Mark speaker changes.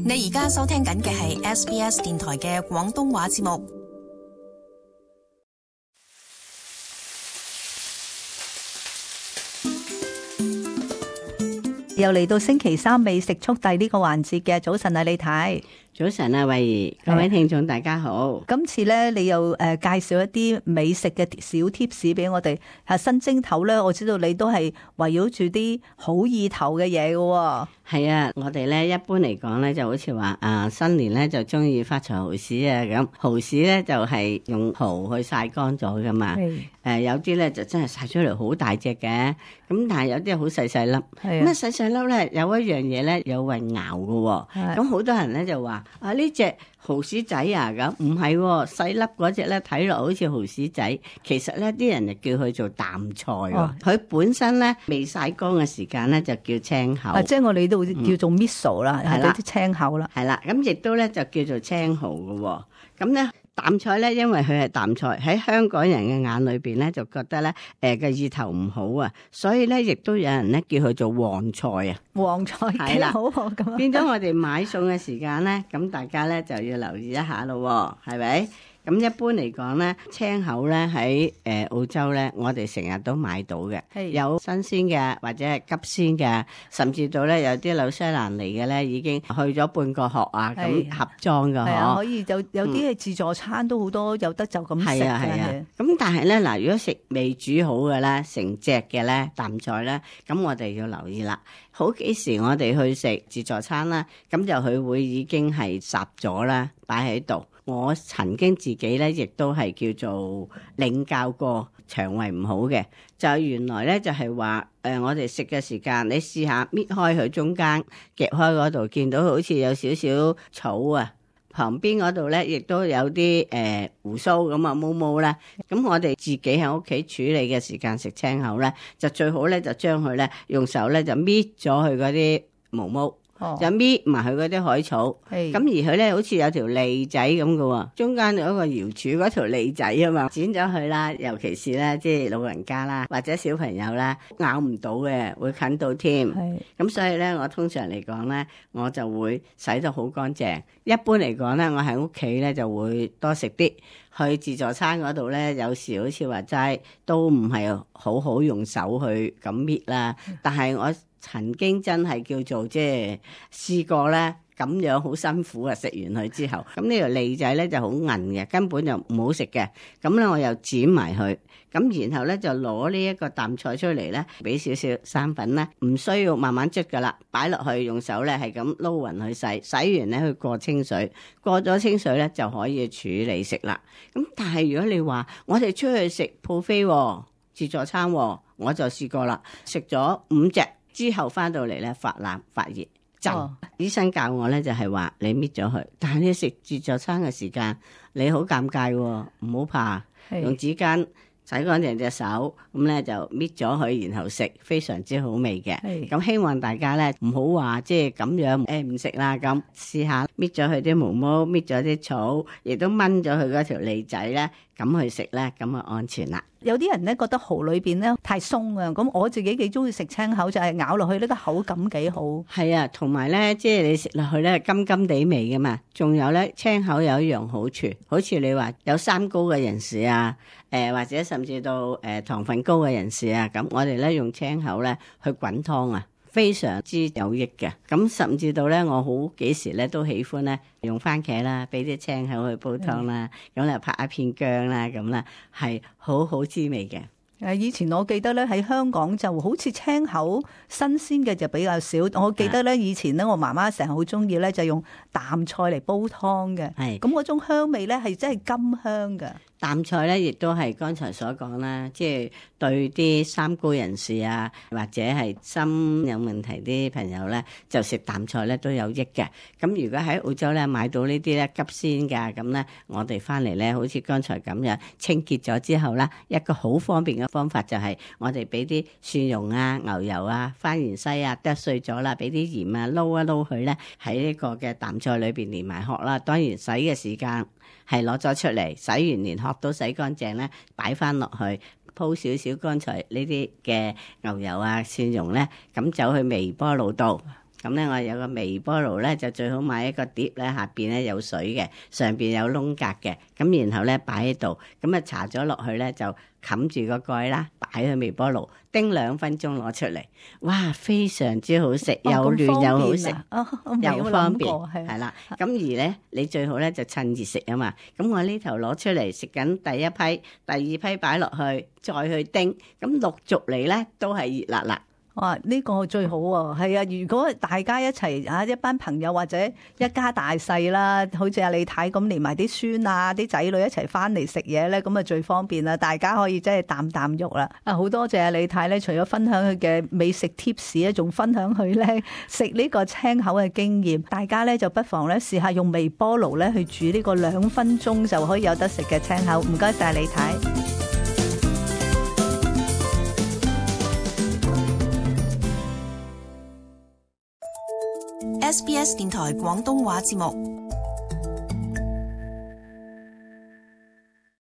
Speaker 1: 你而家收聽緊嘅係 SBS 電台嘅廣東話節目。
Speaker 2: 又嚟到星期三美食速遞呢個環節嘅，早晨啊，李太。
Speaker 3: 早晨啊，慧兒，各位聽眾大家好。
Speaker 2: 今次咧，你又介紹一啲美食嘅小貼士俾我哋。新蒸頭咧，我知道你都係圍繞住啲好意頭嘅嘢嘅。
Speaker 3: 係啊，我哋咧一般嚟講咧，就好似話新年咧就中意發財蠔豉啊咁。蠔豉咧就係用蠔去曬乾咗噶嘛。有啲咧就真係曬出嚟好大隻嘅，咁但係有啲好細細粒。咁細細粒咧有一樣嘢咧有混淆嘅。咁好多人咧就話呢隻蠔豉仔啊，咁唔係細粒嗰隻咧睇落好似蠔豉仔，其實咧啲人就叫佢做淡菜喎。佢本身咧未曬乾嘅時間咧就叫青口。
Speaker 2: 即係我哋都叫做 miso 啦，係啦啲青口啦。
Speaker 3: 係啦，咁亦都咧就叫做青蠔嘅。咁咧淡菜咧，因為佢係淡菜，喺香港人嘅眼裏邊咧就覺得咧嘅意頭唔好啊，所以咧亦都有人咧叫佢做黃菜啊。
Speaker 2: 黃菜幾好咁，
Speaker 3: 變咗我哋買餸嘅時間咧，咁大家咧就要留意一下咯，係咪？咁一般嚟講咧，青口咧喺澳洲咧，我哋成日都買到嘅，有新鮮嘅或者係急鮮嘅，甚至到咧有啲紐西蘭嚟嘅咧，已經去咗半個殼啊，咁盒裝嘅嗬。
Speaker 2: 可以有啲係自助餐都好多有得就咁食嘅。係啊。
Speaker 3: 咁但係咧嗱，如果食未煮好嘅咧，成隻嘅咧淡菜咧，咁我哋要留意啦。好幾時我哋去食自助餐啦，咁就佢會已經係烚咗啦，擺喺度。我曾經自己咧，亦都係叫做領教過腸胃唔好嘅，就原來咧就係話我哋食嘅時間，你試下搣開佢中間夾開嗰度，見到好似有少少草啊，旁邊嗰度咧亦都有啲胡鬚咁啊毛毛咧，咁我哋自己喺屋企處理嘅時間食青口咧，就最好咧就將佢咧用手咧就搣咗佢嗰啲毛毛。就搣埋佢嗰啲海草，咁而佢咧好似有條脷仔咁嘅喎，中間有一個瑤柱嗰條脷仔啊嘛，剪咗佢啦，尤其是咧即係老人家啦或者小朋友啦咬唔到嘅，會啃到添。咁所以咧我通常嚟講咧，我就會洗得好乾淨。一般嚟講咧，我喺屋企咧就會多食啲，去自助餐嗰度咧，有時好似話齋都唔係好好用手去咁搣啦，但係我曾經真係叫做即係試過咧，咁樣好辛苦啊！食完佢之後，咁呢條脷仔咧就好韌嘅，根本就唔好食嘅。咁咧我又剪埋佢，咁然後咧就攞呢一個淡菜出嚟咧，俾少少生粉咧，唔需要慢慢捽噶啦，擺落去用手咧係咁撈勻去洗，洗完咧去過清水，過咗清水咧就可以處理食啦。咁但係如果你話我哋出去食 buffet 自助餐，我就試過啦，食咗5隻。之後翻到嚟咧發冷發熱震，醫生教我咧就係話你搣咗佢，但係你食自助餐嘅時間你好尷尬喎，唔好怕，用紙巾洗乾淨隻手，咁咧就搣咗佢，然後食，非常之好味嘅。咁希望大家咧唔好話即係咁樣唔食啦，咁試下搣咗佢啲毛毛，搣咗啲草，亦都掹咗佢嗰條脷仔咧，咁去食咧，咁就安全啦。
Speaker 2: 有啲人咧覺得蠔裏邊咧太鬆啊，咁我自己幾中意食青口，就係咬落去呢個口感幾好。係
Speaker 3: 啊，同埋咧，即係你食落去咧甘甘地味噶嘛。仲有咧，青口有一樣好處，好似你話有三高嘅人士啊，或者甚至到糖分高嘅人士啊，咁我哋咧用青口咧去滾湯啊，非常之有益嘅。咁甚至到咧，我好幾時咧都喜歡咧用番茄啦，俾啲青口去煲湯啦，咁咧拍一片薑啦，咁啦係好好滋味嘅。
Speaker 2: 以前我記得咧喺香港就好似青口新鮮嘅就比較少。我記得咧以前咧我媽媽成日好中意咧就用淡菜嚟煲湯嘅，咁嗰種香味咧係真係甘香嘅。
Speaker 3: 淡菜咧，亦都係剛才所講啦，即係對啲三高人士啊，或者係心有問題啲朋友咧，就食淡菜咧都有益嘅。咁如果喺澳洲咧買到呢啲咧急鮮㗎，咁咧我哋翻嚟咧，好似剛才咁樣清潔咗之後啦，一個好方便嘅方法就係我哋俾啲蒜蓉啊、牛油啊、番芫茜啊剁碎咗啦，俾啲鹽啊撈一撈佢咧，喺呢個嘅淡菜裏邊連埋殼啦。當然洗嘅時間係攞咗出嚟，洗完連殼都洗乾淨咧，擺翻落去鋪少少剛才呢啲嘅牛油啊、蒜蓉咧，咁走去微波爐度咁咧我有個微波爐咧，就最好買一個碟咧，下邊咧有水嘅，上邊有窿格嘅，咁然後咧擺喺度，咁啊搽咗落去咧就冚住個蓋啦，擺去微波爐叮2分鐘攞出嚟，哇，非常之好食，又嫩又好食，又方便，係啦。咁而咧你最好咧就趁熱食啊嘛。咁我呢頭攞出嚟食緊第一批，第2批擺落去，再去叮，咁陸續嚟咧都係熱辣辣。
Speaker 2: 哇！呢個最好喎，係啊！如果大家一齊啊，一班朋友或者一家大細啦，好似阿李太咁，連埋啲孫啊、啲仔女一齊翻嚟食嘢咧，咁啊最方便啦！大家可以真係啖啖肉啦。啊，好多謝阿李太咧，除咗分享佢嘅美食 tips 咧，仲分享佢咧食呢個青口嘅經驗。大家咧就不妨咧試下用微波爐咧去煮呢個2分鐘就可以有得食嘅青口。唔該晒李太。
Speaker 1: SBS 電台廣東話節目。